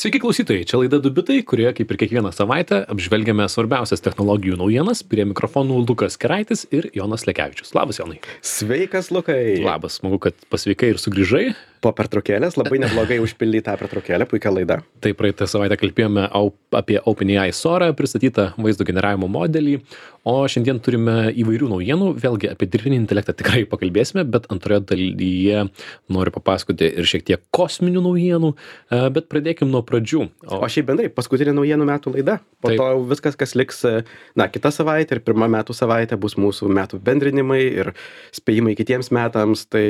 Sveiki klausytojai, čia laida Du bitai, kurioje kaip ir kiekvieną savaitę apžvelgiame svarbiausias technologijų naujienas. Prie mikrofonų Lukas Keraitis ir Jonas Lekevičius. Labas, Jonai. Sveikas, Lukai. Labas, smagu, kad pasveikai ir sugrįžai. Po pertraukėlės labai neblogai užpildyti tą pertraukėlę, puikia laida. Tai praeitą savaitę kalbėjome apie OpenAI Sora, pristatytą vaizdo generavimo modelį, o šiandien turime įvairių naujienų. Vėlgi apie dirbtinį intelektą tikrai pakalbėsime, bet antroje dalyje noriu papasakoti ir šiek tiek kosminių naujienų, bet pradėkim nuo pradžių. O šiaip bendrai, paskutinė naujienų metų laida. Po Taip. to viskas, kas liks, kitą savaitę ir pirmą metų savaitę bus mūsų metų bendrinimai ir spėjimai kitiems metams. Tai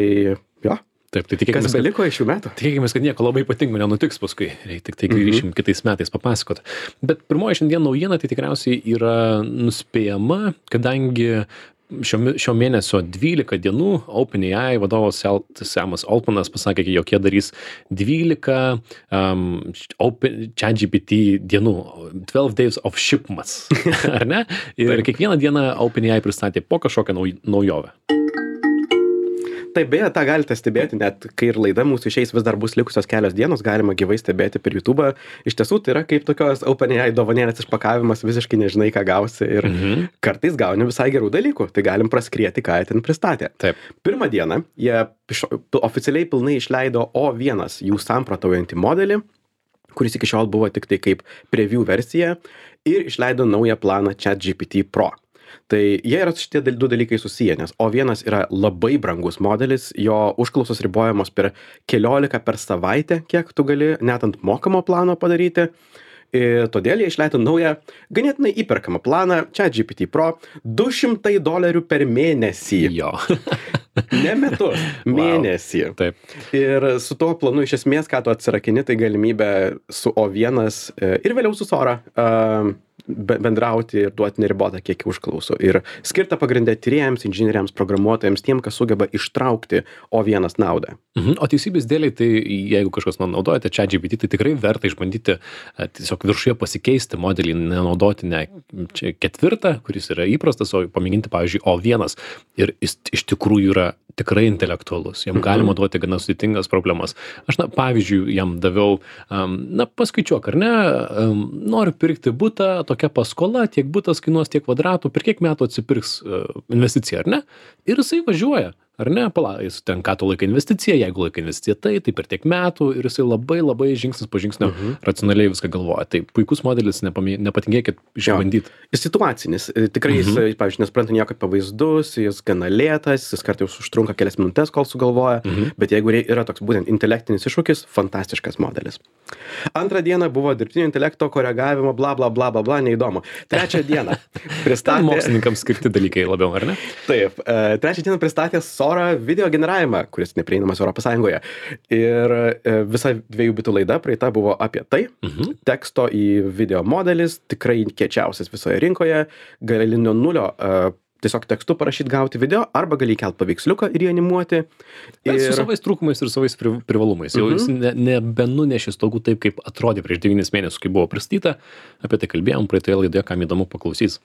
jo. Taip, tai Kas beliko iš šių metų? Tikėkimės, kad nieko labai ypatingo nenutiks paskui, tik tai grįšim kitais metais papasakot. Bet pirmoji šiandien naujiena tai tikriausiai yra nuspėjama, kadangi šio mėnesio 12 dienų OpenAI vadovas Samas Altmanas pasakė, jog jie darys 12 ChatGPT dienų, 12 days of shipments, ar ne? Ir kiekvieną dieną OpenAI pristatė po kažkokią naujovę. Taip, beje, tą galite stebėti, net kai ir laida mūsų išeis, vis dar bus likusios kelios dienos, galima gyvai stebėti per YouTube. Iš tiesų, tai yra kaip tokios OpenAI dovanėlės išpakavimas, visiškai nežinai, ką gausi ir kartais gauni visai gerų dalykų, tai galim praskrieti, ką jie ten pristatė. Taip. Pirmą dieną jie oficialiai pilnai išleido O1 jų samprotaujantį modelį, kuris iki šiol buvo tik tai kaip preview versija, ir išleido naują planą ChatGPT Pro. Tai jie yra šitie du dalykai susiję, nes O1 yra labai brangus modelis, jo užklausos ribojamos per 14 per savaitę, kiek tu gali net ant mokamo plano padaryti. Ir todėl jie išleido naują, ganėtinai įperkamą planą ChatGPT Pro $200 per mėnesį. Jo. Ne metus, mėnesį. Wow. Taip. Ir su tuo planu iš esmės, ką tu atsirakini, tai galimybė su O1 ir vėliau su Sora bendrauti ir duoti neribotą kiekį užklausų. Ir skirta pagrindė tyrėjams, inžinieriams, programuotojams, tiem, kas sugeba ištraukti O1 naudą. O teisybės dėliai, tai jeigu kažkas naudojate ChatGPT, tai tikrai verta išbandyti tiesiog viršuje pasikeisti modelį, nenaudoti ne ketvirtą, kuris yra įprastas, o pamėginti, pavyzdžiui, O1. Ir jis iš tikrųjų yra tikrai intelektualus. Jam galima duoti gana sudėtingas problemas. Aš, pavyzdžiui, jam daviau, paskaičiuok, ar ne, noriu pirkti butą, tokia paskola, tiek butas kainuos, tiek kvadratų, per kiek metų atsipirks investicija, ar ne? Ir jisai važiuoja. Ar ne? Jis ten ką tu laikai investiciją, jeigu laikai investiciją tai per tiek metų ir jisai labai žingsnis po žingsnio racionaliai viską galvoja. Tai puikus modelis, nepatingėkit išbandyti. Jis situacinis. Tikrai jis, pavyzdžiui, nespranta nieko apie vaizdus, jis gana lėtas, jis kartais užtrunka kelias minutės, kol sugalvoja, bet jeigu yra toks būtent intelektinis iššūkis, fantastiškas modelis. Antrą dieną buvo dirbtinio intelekto koregavimo, bla, neįdomu. Trečią dieną pristatė... Mokslininkams skirti dalykai labiau, ar ne? Taip. Trečią dieną pristatė Sora video generavimą, kuris neprieinamas Europos Sąjungoje. Ir visa 2 bitų laida praeita buvo apie tai. Teksto į video modelis, tikrai kiečiausias visoje rinkoje, gali nuo nulio tiesiog tekstu parašyti, gauti video, arba gali įkelt paveiksliuką ir jį animuoti. Su savais trūkumais ir savais privalumais. Jau jis nebenunešė stogų taip, kaip atrodė prieš 9 mėnesius, kai buvo pristatyta. Apie tai kalbėjom praeitoje laidoje, kam įdomu paklausys.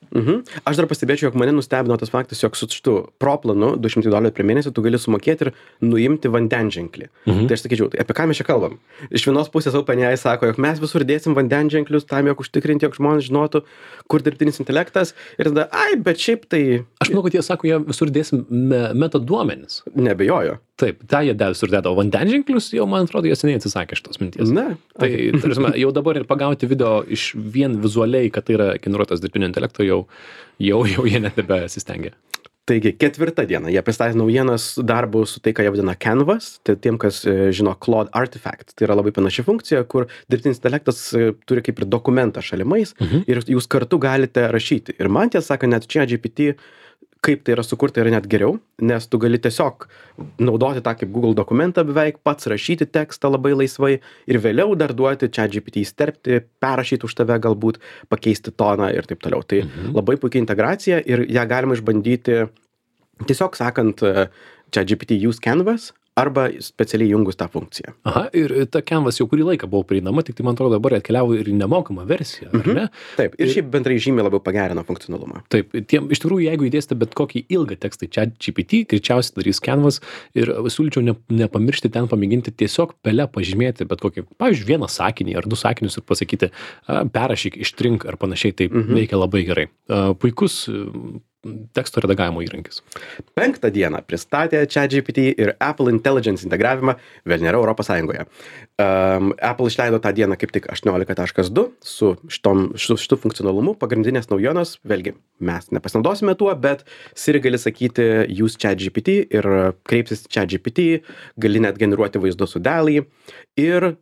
Aš dar pastebėčiau, jog mane nustebino tas faktas, jog su šitu Pro planu $200 per mėnesį tu gali sumokėti ir nuimti vandenženklį. Tai aš sakyčiau, tai apie ką mes čia kalbam? Iš vienos pusės OpenAI sako, jog mes visur dėsim vandenženklius tam, jog užtikrinti, jog žmonės žinotų, kur dirbtinis intelektas. Ir tada, bet šiaip tai... Aš manau, kad jie sako, jie visur dėsim metaduomenis. Nebejoju. Taip, tą jie visur dėdo, o vandenženklius jau, man atrodo, jie seniai atsisakė šitos minties. Ne. Tai, tarsi, jau dabar ir pagauti video iš vien vizualiai, kad tai yra generuotas dirbtinio intelekto, jau jie net nebesistengia. Taigi, 4 diena jie pristatė naujienas darbų su tai, ką jie vadina Canvas. Tai tiem, kas žino Claude Artifact. Tai yra labai panaši funkcija, kur dirbtinis intelektas turi kaip ir dokumentą šalimais ir jūs kartu galite rašyti. Ir man tiesą sakant, net ChatGPT, kaip tai yra sukurta, yra net geriau, nes tu gali tiesiog naudoti tą kaip Google dokumentą beveik, pats rašyti tekstą labai laisvai ir vėliau dar duoti ChatGPT įsterpti, perrašyti už tave galbūt, pakeisti toną ir taip toliau. Tai labai puikia integracija ir ją galima išbandyti tiesiog sakant ChatGPT use Canvas arba specialiai jungus tą funkciją. Aha, ir ta Canvas jau kurį laiką buvo prieinama, tik tai man atrodo dabar atkeliavo ir į nemokamą versiją, ar ne? Taip, ir šiaip bendrai žymiai labiau pagerino funkcionalumą. Taip, iš tikrųjų, jeigu įdėsite bet kokį ilgą tekstą į ChatGPT, greičiausiai darys Canvas ir siūlyčiau nepamiršti ten pamėginti tiesiog pele pažymėti bet kokį, pavyzdžiui, vieną sakinį ar du sakinius ir pasakyti, perrašyk, ištrink ar panašiai, tai veikia labai gerai. Puikus teksto redagavimo įrankis. 5 dieną pristatė ChatGPT ir Apple Intelligence integravimą, vėl nėra Europos Sąjungoje. Apple išleido tą dieną kaip tik 18.2 su šitu funkcionalumu. Pagrindinės naujienos, vėlgi, mes nepasinaudosime tuo, bet Siri gali sakyti use ChatGPT ir kreipsis ChatGPT, gali net generuoti vaizdus su DALL-E ir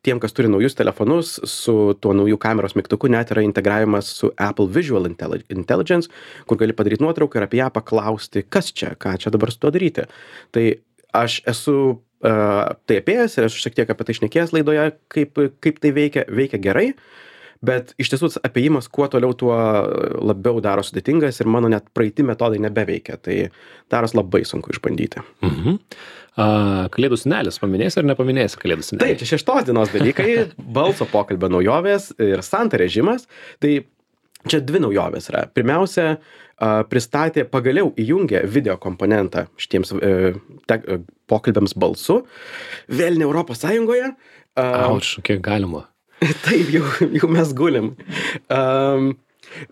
tiem, kas turi naujus telefonus, su tuo naujų kameros mygtuku net yra integravimas su Apple Visual Intelligence, kur gali padaryti nuotrauką ir apie ją paklausti, kas čia, ką čia dabar su tuo daryti. Tai aš esu tai apėjęs ir esu šiek tiek apie tai šnekėjęs laidoje, kaip tai veikia gerai, bet iš tiesų apėjimas kuo toliau, tuo labiau daro sudėtingas ir mano net praeiti metodai nebeveikia. Tai daros labai sunku išbandyti. Kalėdų senelis, paminėsi ar nepaminėsi Kalėdų senelį? Taip, čia 6 dienos dalykai, balso pokalbio naujovės ir Santa režimas. Tai čia 2 naujovės yra. Pirmiausia, pristatė, pagaliau įjungė video komponentą šitiems pokalbiams balsu. Vėl ne Europos Sąjungoje. Auč, kiek galima. Taip, jau mes gulim.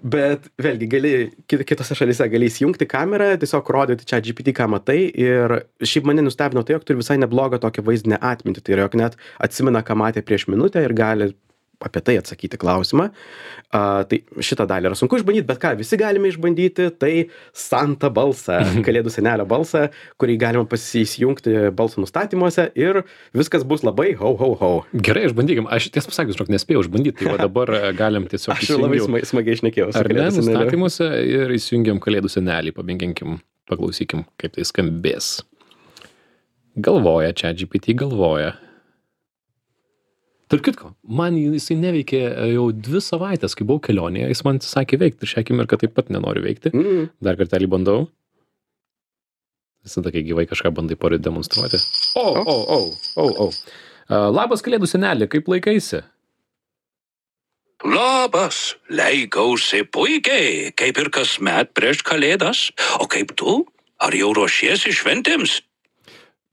Bet vėlgi, kitose šalyse gali įsijungti kamerą, tiesiog rodyti ChatGPT, ką matai. Ir šiaip mane nustebino tai, jog turi visai neblogą tokią vaizdinę atmintį. Tai yra, jog net atsimena, ką matė prieš minutę ir gali apie tai atsakyti klausimą. Tai šitą dalį yra sunku išbandyti, bet ką, visi galime išbandyti, tai Santa balsą, Kalėdų senelio balsą, kurį galima įsijungti balso nustatymuose ir viskas bus labai ho, ho, ho. Gerai, išbandykim. Aš tiesą pasakius, nespėjau išbandyti, tai dabar galim tiesiog Aš labai smagiai šnekėjau. Ar ne, nustatymuose ir įsijungiam Kalėdų senelį, pamėginkim, paklausykim, kaip tai skambės. Galvoja, ChatGPT galvoja. Tarp kitko, man jisai neveikė jau 2 savaitės, kai buvau kelionėje, jis man sakė veikti ir šią akimirką taip pat nenoriu veikti. Dar kartelį bandau. Visada, kai gyvai kažką bandai demonstruoti. Labas Kalėdų senelį, kaip laikaisi? Labas, laikausi puikiai, kaip ir kasmet prieš Kalėdas. O kaip tu? Ar jau ruošiesi šventėms?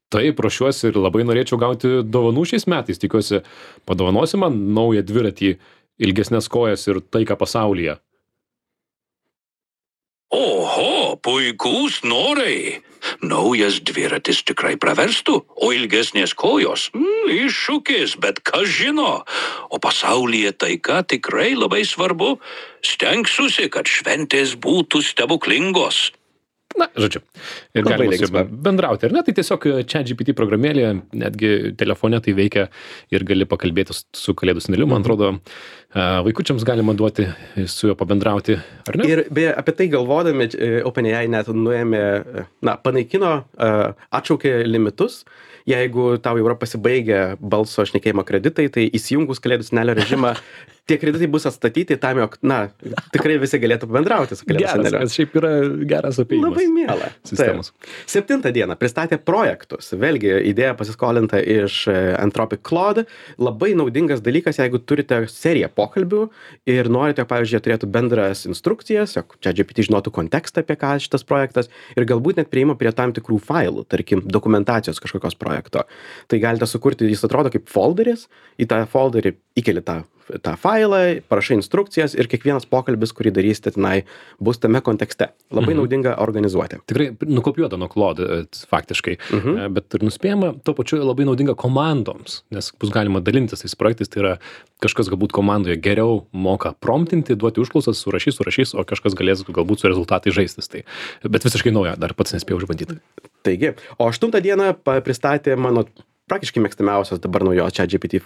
Taip, ruošiuosi ir labai norėčiau gauti dovanų šiais metais. Tikiuosi, padovanosi man naują dviratį, ilgesnės kojas ir taiką pasaulyje. Oho, puikūs norai. Naujas dviratis tikrai praverstų, o ilgesnės kojos iššūkis, bet kas žino. O pasaulyje taika tikrai labai svarbu. Stengsiuosi, kad šventės būtų stebuklingos. Na, žodžiu, ir galima su juo bendrauti, ar ne? Tai tiesiog ChatGPT programėlė, netgi telefone tai veikia ir gali pakalbėti su Kalėdų seneliu. Man atrodo, vaikučiams galima duoti su juo pabendrauti, ar ne? Ir beje, apie tai galvodami, OpenAI net panaikino, atšaukė limitus. Jeigu tau jau yra pasibaigę balso šnekėjimo kreditai, tai įsijungus Kalėdų senelio režimą, tie kreditai bus atstatyti tam, jog, tikrai visi galėtų bendrauti su Kalėdų seneliu. Geras, šiaip yra geras apėjimas. Labai miela. Sistemos. 7 dieną pristatė projektus. Vėlgi, idėja pasiskolinta iš Anthropic Claude. Labai naudingas dalykas, jeigu turite seriją pokalbių ir norite, pavyzdžiui, turėtų bendras instrukcijas, jog ChatGPT žinotų kontekstą, apie ką šitas projektas ir galbūt net prieima prie tam tikrų failų, tarkim, dokumentacijos kažkokios projekto. Tai galite sukurti, jis atrodo kaip folderis, į tą folderį įkeli tą failą, parašai instrukcijas ir kiekvienas pokalbis, kurį darysite tenai, bus tame kontekste. Labai naudinga organizuoti. Tikrai nukopijuota nuo Claude faktiškai, bet ir nuspėjama, tuo pačiu labai naudinga komandoms, nes bus galima dalintis tais projektais, tai yra kažkas galbūt komandoje geriau moka promptinti, duoti užklausas, surašys, o kažkas galės galbūt su rezultatai žaistis. Tai, bet visiškai nauja, dar pats nespėjau išbandyti. Taigi, o 8 dieną pristatė mano praktiškai mėgstamiausias dabar naujos ChatGPT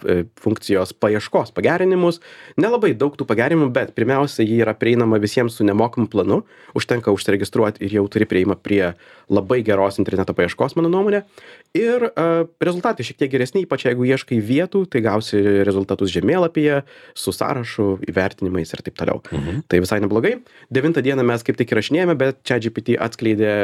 funkcijos paieškos pagerinimus. Nelabai daug tų pagerinimų, bet pirmiausia, jį yra prieinama visiems su nemokamu planu. Užtenka užsiregistruoti ir jau turi prieimą prie labai geros interneto paieškos, mano nuomonė. Ir rezultatai šiek tiek geresni, ypač jeigu ieškai vietų, tai gausi rezultatus žemėlapyje, su sąrašu, įvertinimais ir taip toliau. Tai visai neblogai. 9 dieną mes kaip tik įrašinėjame, bet ChatGPT atskleidė,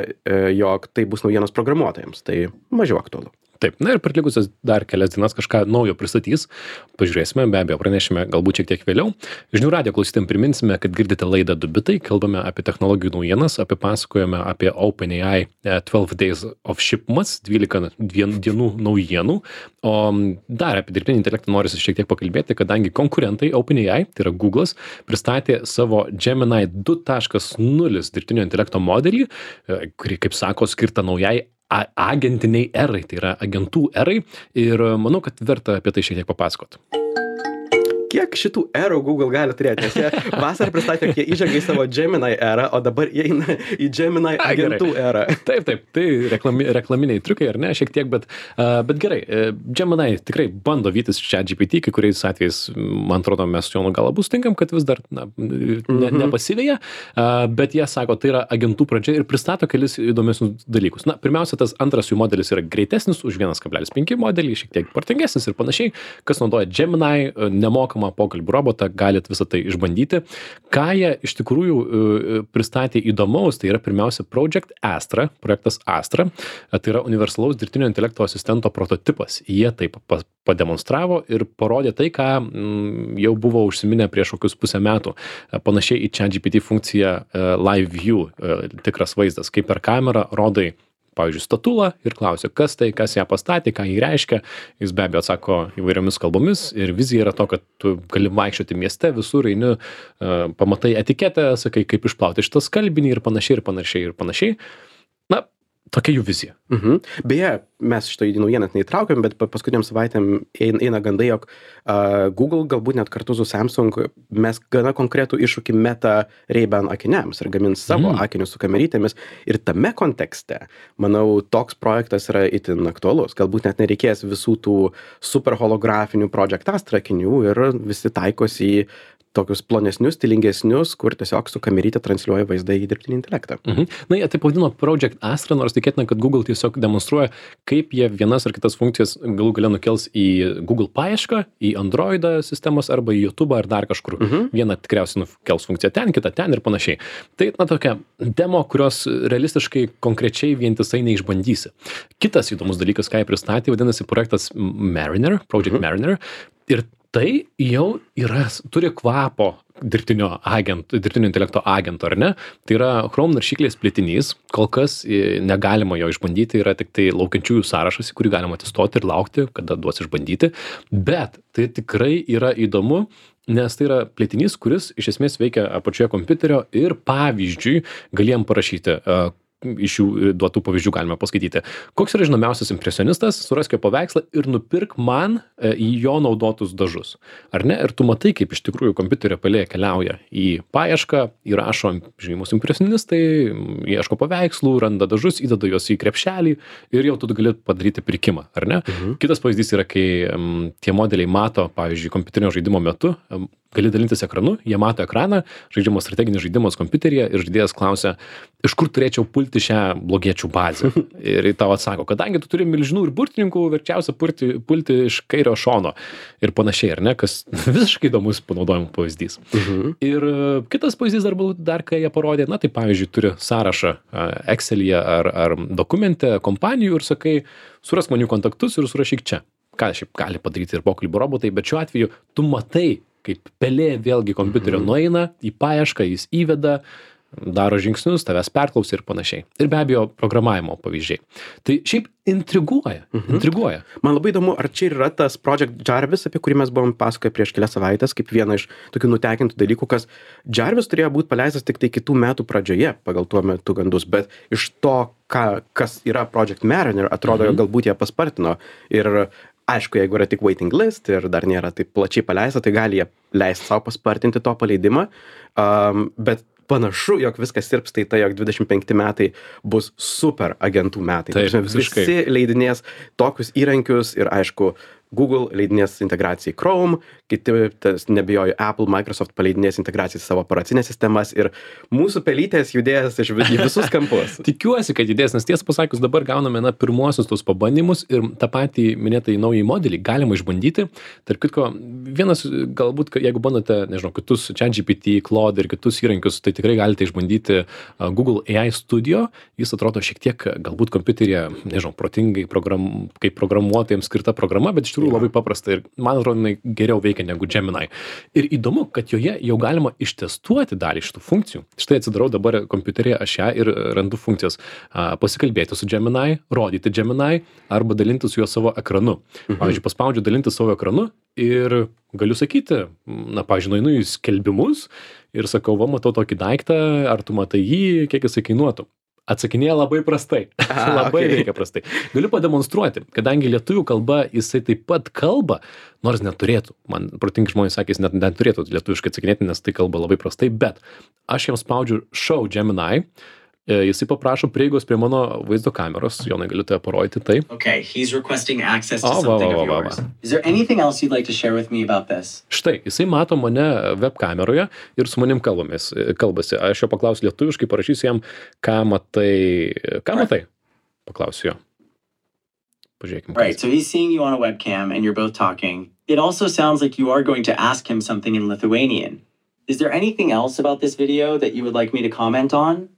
jog tai bus naujienos programuotojams. Tai mažiau aktualu. Taip, na ir per likusias dar kelias dienas kažką naujo pristatys. Pažiūrėsime, be abejo, pranešime galbūt šiek tiek vėliau. Žinių radijo klausytėm priminsime, kad girdite laidą 2 bitai, kalbame apie technologijų naujienas, pasakojame apie OpenAI 12 Days of Shipments, 12 dienų naujienų. O dar apie dirbtinį intelektą norisi šiek tiek pakalbėti, kadangi konkurentai OpenAI, tai yra Google'as, pristatė savo Gemini 2.0 dirbtinio intelekto modelį, kurį, kaip sako, skirta naujai agentiniai erai, tai yra agentų erai, ir manau, kad verta apie tai šiek tiek papasakot. Kiek šitų erų Google gali turėti? Nes jie vasarą pristatė, jie įžengė į savo Gemini erą, o dabar įeina į Gemini agentų erą. Taip, tai reklaminiai triukai, ar ne, šiek tiek, bet gerai, Gemini tikrai bando vytis ChatGPT, kai kuriais atvejais, man atrodo, mes jo gal abu sutinkam, kad vis dar nepasivėja, bet jie sako, tai yra agentų pradžia ir pristato kelis įdomesnius dalykus. Na, pirmiausia, tas antras jų modelis yra greitesnis už 1,5 modelį, šiek tiek protingesnis ir panašiai. Kas naudoja Gemini, nemokamą pokalbių robotą, galit visą tai išbandyti. Ką jie iš tikrųjų pristatė įdomaus, tai yra pirmiausia projektas Astra, tai yra universalaus dirbtinio intelekto asistento prototipas. Jie taip pademonstravo ir parodė tai, ką jau buvo užsiminę prieš kokius pusę metų. Panašiai į ChatGPT funkciją Live View, tikras vaizdas, kaip per kamerą rodai pavyzdžiui, statulą ir klausia, kas ją pastatė, ką jį reiškia. Jis be abejo atsako įvairiomis kalbomis ir vizija yra to, kad tu gali vaikščioti mieste, visur eini, pamatai etiketę, sakai, kaip išplauti šitą skalbinį ir panašiai. Na, tokia jų vizija. Beje, mes šito į naujieną neįtraukiam, bet paskutiniam savaitėm eina gandai, jog Google galbūt net kartu su Samsung mes gana konkretų iššūkį meta Ray-Ban akiniams ir gamins savo akinius su kamerytėmis. Ir tame kontekste, manau, toks projektas yra itin aktualus. Galbūt net nereikės visų tų super holografinių Project Astra akinių ir visi taikosi į tokius plonesnius, stilingesnius, kur tiesiog su kamerytė transliuoja vaizdą į dirbtinį intelektą. Na, jie taip vadino Project Astra, nors tikėtina, kad Google tiesiog demonstruoja, kaip jie vienas ar kitas funkcijas galų gale nukels į Google paiešką, į Android sistemos arba į YouTube ar dar kažkur. Vieną tikriausiai nukels funkciją ten, kitą ten ir panašiai. Tai, na, tokia demo, kurios realistiškai konkrečiai vientisai neišbandysi. Kitas įdomus dalykas, ką jie pristatė, vadinasi projektas Mariner, Project Mariner. Ir tai jau turi kvapo dirbtinio intelekto agento, ar ne? Tai yra Chrome naršyklės plėtinys, kol kas negalima jo išbandyti, yra tik tai laukiančiųjų sąrašas, į kurį galima atsistoti ir laukti, kada duos išbandyti, bet tai tikrai yra įdomu, nes tai yra plėtinys, kuris iš esmės veikia apačioje kompiuterio ir pavyzdžiui galėjom parašyti, iš jų duotų pavyzdžių galime paskaityti. Koks yra žinomiausias impresionistas, surask jo paveikslą ir nupirk man į jo naudotus dažus. Ar ne? Ir tu matai, kaip iš tikrųjų kompiuterio pelė keliauja į paiešką, įrašo žymus impresionistai, ieško paveikslų, randa dažus, įdeda juos į krepšelį ir jau tu gali padaryti pirkimą, ar ne? Kitas pavyzdys yra, kai tie modeliai mato, pavyzdžiui, kompiuterinio žaidimo metu, gali dalintis ekranu, jie mato ekraną, žaidžiamas strateginis žaidimas kompiuteryje ir žaidėjas klausia, iš kur turėčiau pulti šią blogiečių bazę. Ir tau atsako, kadangi tu turi milžinų ir burtininkų, verčiausia pulti iš kairio šono ir panašiai, ar ne, kas visiškai įdomus panaudojimo pavyzdys. Ir kitas pavyzdys dar ką jie parodė, na tai pavyzdžiui turi sąrašą Excel'yje ar dokumente kompanijų ir sakai, surask man jų kontaktus ir surašyk čia. Ką šiaip gali padaryti ir pokalbių robotai, bet šiuo atveju tu matai, kaip pelė vėlgi kompiuterio nueina į paiešką, jis įveda, daro žingsnius, tavęs perklausia ir panašiai. Ir be abejo, programavimo pavyzdžiai. Tai šiaip intriguoja. Man labai įdomu, ar čia yra tas Project Jarvis, apie kurį mes buvom pasakoję prieš kelias savaitės, kaip vieną iš tokių nutekintų dalykų, kas Jarvis turėjo būti paleistas tik tai kitų metų pradžioje, pagal tuo metu gandus, bet iš to, kas yra Project Mariner, atrodo, jog galbūt jie paspartino. Ir aišku, jeigu yra tik waiting list ir dar nėra taip plačiai paleista, tai gali jie leisti savo paspartinti to paleidimą, bet panašu, jog viskas sirps, tai jog 25 metai bus super agentų metai. Taip, visi leidinės tokius įrankius ir aišku, Google leidinės integraciją į Chrome, kiti, nebijoju, Apple, Microsoft paleidinės integraciją į savo operacinės sistemas ir mūsų pelytės judės į visus kampus. Tikiuosi, kad judės, nes tiesą pasakius, dabar gauname pirmuosius tos pabandymus ir tą patį minėtą į naują modelį galima išbandyti. Tarp kitko, vienas galbūt, jeigu bandote, nežinau, kitus ChatGPT, Claude ir kitus įrankius, tai tikrai galite išbandyti Google AI Studio. Jis atrodo šiek tiek galbūt kompiuteryje, nežinau, protingai kaip programuotojams skirta programa, bet iš tikrųjų labai paprasta ir man atrodo, jinai geriau veikia negu Gemini. Ir įdomu, kad joje jau galima ištestuoti dalį šitų funkcijų. Štai atsidarau dabar kompiuteryje aš ją ir randu funkcijas pasikalbėti su Gemini, rodyti Gemini arba dalinti su juo savo ekranu. Pavyzdžiui, paspaudžiu dalinti savo ekranu ir galiu sakyti, pavyzdžiui, nueinu į skelbimus ir sakau, va, matau tokį daiktą, ar tu matai jį, kiek jisai kainuotų. Atsakinėja labai prastai. Labai veikia prastai. Galiu pademonstruoti, kadangi lietuvių kalba jisai taip pat kalba, nors neturėtų. Man protingi žmonės sakė, jis net neturėtų lietuviškai atsakinėti, nes tai kalba labai prastai, bet aš jam spaudžiu Show Gemini, jisai paprašo prieigos prie mano vaizdo kameros, Jonai, galiu tave parodyti tai. Okay, he's requesting access to something of yours. Is there anything else you'd like to share with me about this? Štai, jisai mato mane web kameroje ir su manim kalbasi. Aš jo paklausiu lietuviškai, parašysiu jam, ką matai? Paklausiu jo. Pažiūrėkime. Right, so he's seeing you on a webcam and you're both talking. It also sounds like you are going to ask him something in Lithuanian. Is there anything else about this video that you would like me to comment on?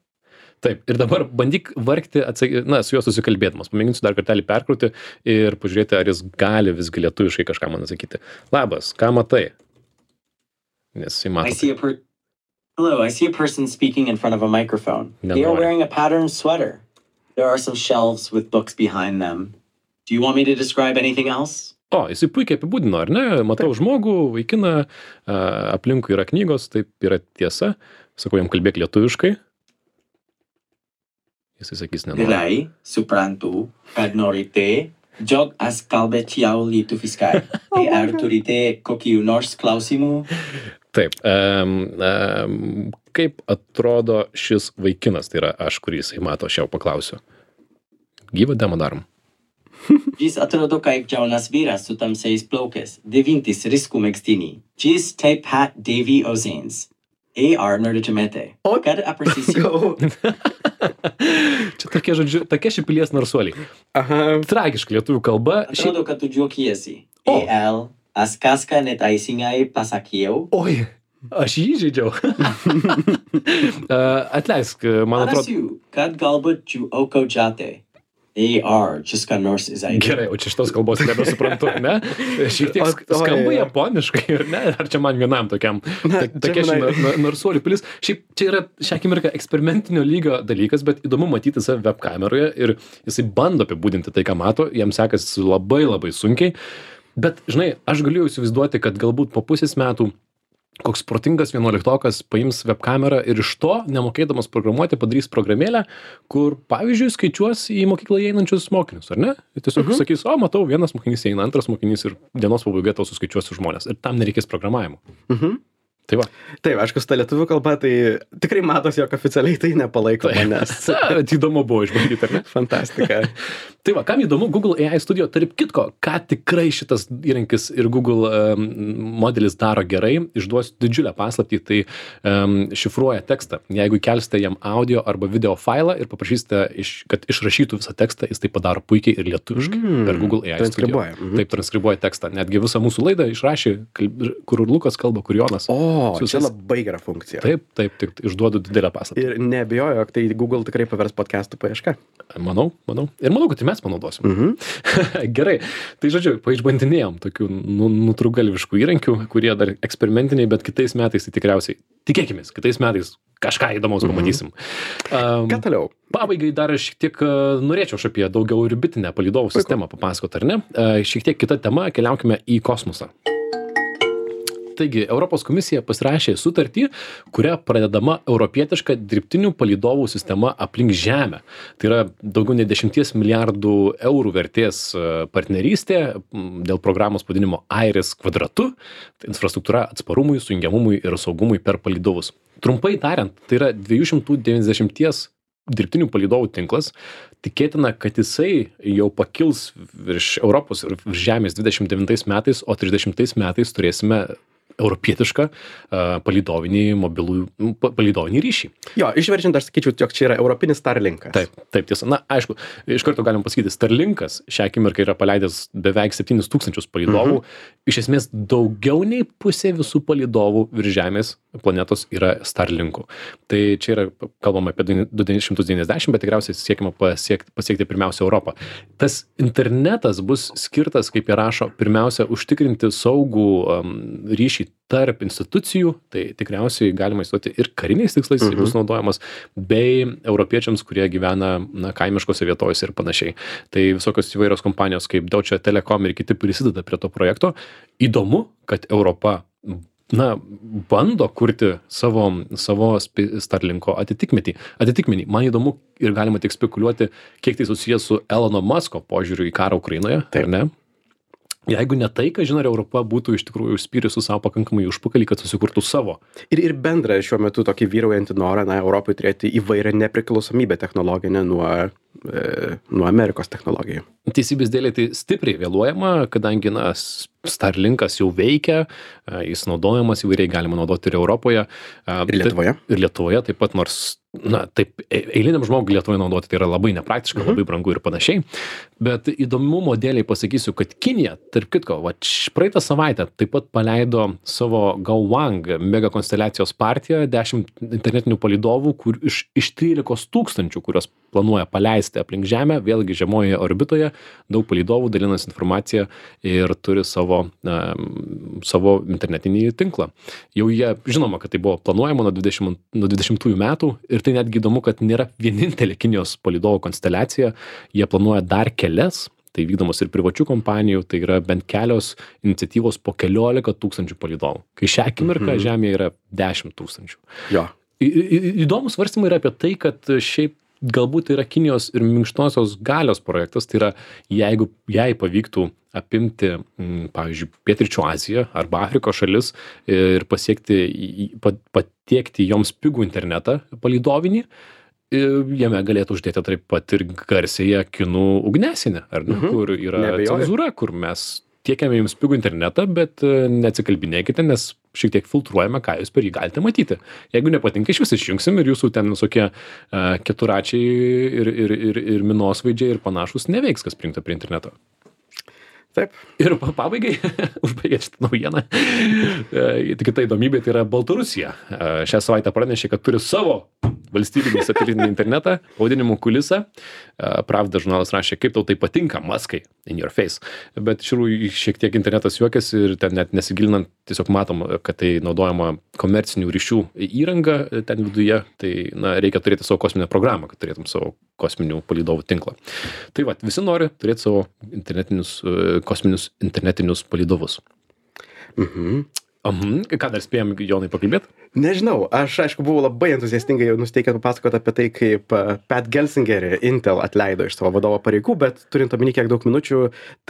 Taip, ir dabar bandyk vargti, su juo susikalbėdamas. Pamėginsiu dar kartelį perkrauti ir pažiūrėti, ar jis gali visgi lietuviškai kažką man atsakyti. Labas, ką matai? Nes jis mato. Hello, I see a person speaking in front of a microphone. They are wearing a patterned sweater. There are some shelves with books behind them. Do you want me to describe anything else? O, jisai puikiai apibūdino, ar ne? Matau žmogų, vaikiną, aplinkui yra knygos, taip yra tiesa. Sakau, jam kalbėk lietuviškai. Jisai sakys nenori. Gerai, suprantu, kad norite, jog aš kalbėčiau lietuviškai. Ar turite kokių nors klausimų? Taip, kaip atrodo šis vaikinas, tai yra aš, kurį jisai mato, aš jau paklausiu. Gyvą demo darom. Jis atrodo kaip jaunas vyras su tamsiais plaukais, devintis riskų megztinį. Jis taip pat dėvi ausines. AR norėtumėte. Kad aprašysiu. Čia tokie, žodžiu, tokie šipilies narsuoliai. Tragiška lietuvių kalba. Atrodo, kad tu juokiesi. Aš kažką neteisingai pasakiau. Oi, aš jį žaidžiau. Atleisk, man atrodo. Manasiu, kad galbūt tu aukočiate. AR, just ką nors įzaigia. Gerai, o čia šitos kalbos nebesuprantu, ne? Šiek tiek skamba japoniškai, ir ne? Ar čia man vienam tokiam? Tokia narsuolių pilis. Šiaip čia yra šią akimirką eksperimentinio lygio dalykas, bet įdomu matyti save web kameroje ir jisai bando apibūdinti tai, ką mato, jam sekasi labai labai sunkiai. Bet, žinai, aš galėjau įsivaizduoti, kad galbūt po pusės metų koks protingas 11-okas paims web kamerą ir iš to, nemokėdamas programuoti, padarys programėlę, kur, pavyzdžiui, skaičiuos į mokyklą einančius mokinius, ar ne? Ir tiesiog sakys, o, matau, vienas mokinys eina, antras mokinys ir dienos pabaigoje tau suskaičiuos žmonės. Ir tam nereikės programavimo. Tai va. Taip, aišku, su ta lietuvių kalba, tai tikrai matosi, jog oficialiai tai nepalaiko manęs. Įdomu buvo išbandyti, ar ne? Fantastika. Tai va, kam įdomu, Google AI Studio, tarp kitko, ką tikrai šitas įrankis ir Google modelis daro gerai, išduos didžiulę paslaptį, tai šifruoja tekstą. Jeigu kelsite jam audio arba video failą ir paprašysite, kad išrašytų visą tekstą, jis tai padaro puikiai ir lietuviškai per Google AI Studio. Taip, transkribuoja tekstą. Netgi visą mūsų laidą išrašė, kur Lukas kalba, kur Jonas. Čia labai gera funkcija. Taip, tik išduodu didelę paslaptį. Ir neabejoju, jog tai Google tikrai pavers podcastų paiešką. Manau. Ir manau, kad mes panaudosim. Gerai. Tai žodžiu, paišbandinėjom tokių nutrūgalviškų įrankių, kurie dar eksperimentiniai, bet kitais metais tai tikriausiai, tikėkimės, kitais metais kažką įdomaus pamatysim. Ką toliau? Pabaigai dar šiek tiek norėčiau apie daugiau orbitinę palydovų sistemą papasakoti, ar ne? Šiek tiek kita tema, keliaukime į kosmosą. Taigi, Europos komisija pasirašė sutartį, kuria pradedama europietiška dirbtinių palydovų sistema aplink Žemę. Tai yra daugiau nei 10 milijardų eurų vertės partnerystė dėl programos pavadinimo Airis kvadratu, tai infrastruktūra atsparumui, sujungiamumui ir saugumui per palydovus. Trumpai tariant, tai yra 290 dirbtinių palydovų tinklas, tikėtina, kad jisai jau pakils virš Europos ir virš Žemės 29 metais, o 30 metais turėsime europietišką palydovinį ryšį. Jo, išverčiant, aš sakyčiau, jog čia yra europinis Starlinkas. Taip, tiesa. Na, aišku, iš karto galim pasakyti, Starlinkas šią akimirką yra paleidęs beveik 7000 palydovų. Iš esmės, daugiau nei pusė visų palydovų virš Žemės planetos yra Starlinkų. Tai čia yra, kalbama apie 990, bet tikriausiai siekima pasiekti pirmiausia Europą. Tas internetas bus skirtas, kaip jie rašo, pirmiausia, užtikrinti saugų ryšį tarp institucijų, tai tikriausiai galima įstoti ir kariniais tikslais bus naudojamas, bei europiečiams, kurie gyvena kaimiškose vietovėse ir panašiai. Tai visokios įvairios kompanijos kaip Deutsche Telekom ir kiti prisideda prie to projekto. Įdomu, kad Europa bando kurti savo Starlinko atitikmenį. Man įdomu ir galima tik spekuliuoti, kiek tai susijęs su Elono Musko požiūriu į karą Ukrainoje, ar ne? Jeigu ne tai, kažin ar Europa būtų iš tikrųjų užspyrusi savo pakankamai užpakalį, kad susikurtų savo. Ir bendrą šiuo metu tokį vyraujantį norą, Europai turėti įvairią nepriklausomybę technologinę nuo Amerikos technologijų. Teisybės dėlei tai stipriai vėluojama, kadangi Starlinkas jau veikia, jis naudojamas įvairiai, galima naudoti ir Europoje. Ir Lietuvoje. Ir Lietuvoje taip pat, nors, taip, eiliniam žmogui Lietuvoje naudoti tai yra labai nepraktiška, labai brangu ir panašiai. Bet įdomumo dėlei pasakysiu, kad Kinija, tarp kitko, praeitą savaitę taip pat paleido savo Gaowang mega konsteliacijos partiją, 10 internetinių palydovų, iš 13 000, kurios planuoja paleisti aplink Žemę, vėlgi žemojoje orbitoje, daug palydovų dalinasi informaciją ir turi savo internetinį tinklą. Jau jie, žinoma, kad tai buvo planuojama nuo 20 metų ir tai netgi įdomu, kad nėra vienintelė Kinijos palydovų konsteliacija, jie planuoja dar kelias, tai vykdomos ir privačių kompanijų, tai yra bent kelios iniciatyvos po 14 000 palydovų. Kai šią akimirką Žemėje yra 10 000. Jo. Įdomus svarstymai yra apie tai, kad šiaip galbūt tai yra Kinijos ir minkštosios galios projektas, tai yra jeigu jai pavyktų apimti, pavyzdžiui, Pietryčių Aziją arba Afrikos šalis ir patiekti joms pigų internetą palydovinį, jame galėtų uždėti taip pat ir garsiąją kinų ugniasinę, ar ne, kur yra cenzūra, kur mes tiekiame jums pigų internetą, bet neatsikalbinėkite, nes šiek tiek filtruojame, ką jūs per jį galite matyti. Jeigu nepatinka, iš vis išjungsim ir jūsų ten visokie keturračiai ir minosvaidžiai ir panašus neveiks, kas prijungta prie interneto. Taip. Ir pabaigai, užbaigė šitą naujieną, kita įdomybė tai yra Baltarusija. Šią savaitę pranešė, kad turi savo valstybinį satelitinį internetą, pavadinimu Kulisa. Pravda žurnalas rašė, kaip tau tai patinka, Muskai, in your face. Bet iš tikrųjų šiek tiek internetas juokiasi ir ten net nesigilinant, tiesiog matom, kad tai naudojama komercinių ryšių įranga ten viduje. Tai reikia turėti savo kosminę programą, kad turėtum savo kosminių palydovų tinklą. Tai visi nori turėti savo kosminius internetinius palydovus. Ką dar spėjom, Jonai, pakalbėti? Nežinau, aš aišku buvau labai entuziastingai nusteikęs papasakoti apie tai, kaip Pat Gelsingerį Intel atleido iš savo vadovo pareigų, bet turint omeny kiek daug minučių,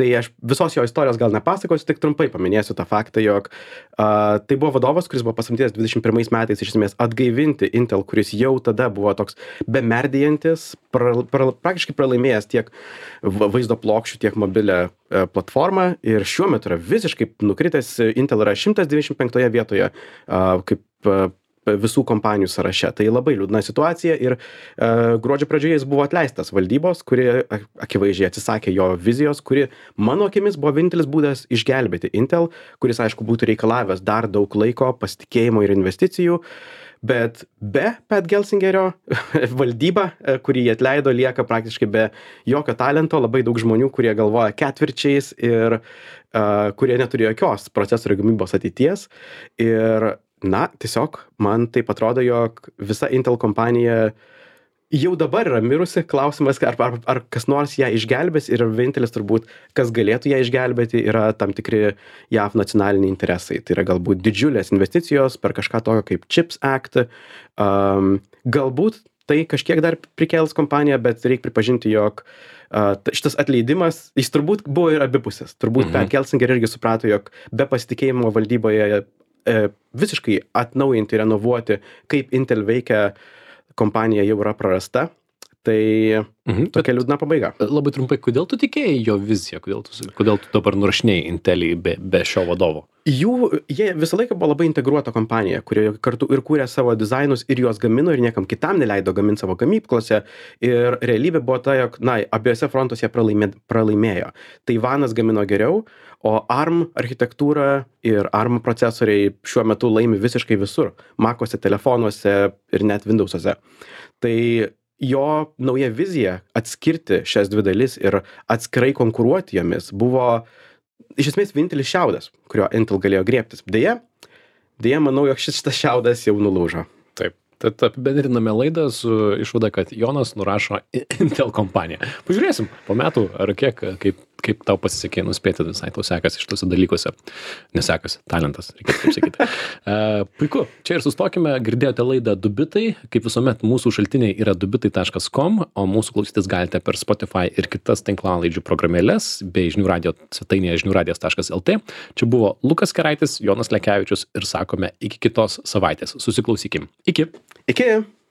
tai aš visos jo istorijos gal nepasakosiu, tik trumpai paminėsiu tą faktą, jog tai buvo vadovas, kuris buvo pasamdytas 21 metais iš esmės atgaivinti Intel, kuris jau tada buvo toks bemerdėjantis, praktiškai pralaimėjęs tiek vaizdo plokščių, tiek mobilę platformą ir šiuo metu yra visiškai nukritęs. Intel yra 125 vietoje kaip visų kompanijų sąraše. Tai labai liūdna situacija ir gruodžio pradžioje jis buvo atleistas valdybos, kuri akivaizdžiai atsisakė jo vizijos, kuri mano akimis buvo vienintelis būdas išgelbėti Intel, kuris aišku būtų reikalavęs dar daug laiko, pasitikėjimo ir investicijų. Bet be Pat Gelsingerio valdyba, kurį jie atleido, lieka praktiškai be jokio talento, labai daug žmonių, kurie galvoja ketvirčiais ir kurie neturi jokios procesorių gamybos ateities. Ir tiesiog man taip atrodo, jog visa Intel kompanija jau dabar yra mirusi. Klausimas, ar kas nors ją išgelbės ir vienintelis turbūt, kas galėtų ją išgelbėti, yra tam tikri JAV nacionaliniai interesai. Tai yra galbūt didžiulės investicijos per kažką tokio kaip CHIPS Act. Galbūt tai kažkiek dar prikels kompaniją, bet reikia pripažinti, jog šitas atleidimas, jis turbūt buvo ir abipusis. Turbūt Pat Gelsinger irgi suprato, jog be pasitikėjimo valdyboje visiškai atnaujinti, renovuoti, kaip Intel veikia, kompanija jau yra prarasta. Tai tokia liūdna pabaiga. Labai trumpai, kodėl tu tikėjai jo viziją, kodėl tu dabar nurašinėjai Intelį be šio vadovo? Jie visą laiką buvo labai integruota kompanija, kurioje kartu ir kūrė savo dizainus ir juos gamino ir niekam kitam neleido gaminti savo gamyklose. Ir realybė buvo ta, jog, abiejose frontuose jie pralaimėjo. Taivanas gamino geriau, o ARM architektūra ir ARM procesoriai šiuo metu laimi visiškai visur. Macuose, telefonuose ir net Windowsuose. Tai jo nauja vizija atskirti šias dvi dalis ir atskirai konkuruoti jomis buvo iš esmės vienintelis šiaudas, kurio Intel galėjo griebtis. Deja, manau, jog šitas šiaudas jau nulūžo. Taip. Tad apibendriname laidą su išvada, kad Jonas nurašo Intel kompaniją. Pažiūrėsim po metų, ar kaip tau pasisekė nuspėti, visai tau sekasi šituose dalykuose. Nesekasi, talentas, reikėtų taip sakyti. Puiku, čia ir sustokime, girdėjote laidą Dubitai, kaip visuomet mūsų šaltiniai yra dubitai.com, o mūsų klausytis galite per Spotify ir kitas tinklalaidžių programėlės, bei žinių radio svetainėje žiniųradijas.lt. Čia buvo Lukas Keraitis, Jonas Lekevičius ir sakome iki kitos savaitės. Susiklausykim. Iki.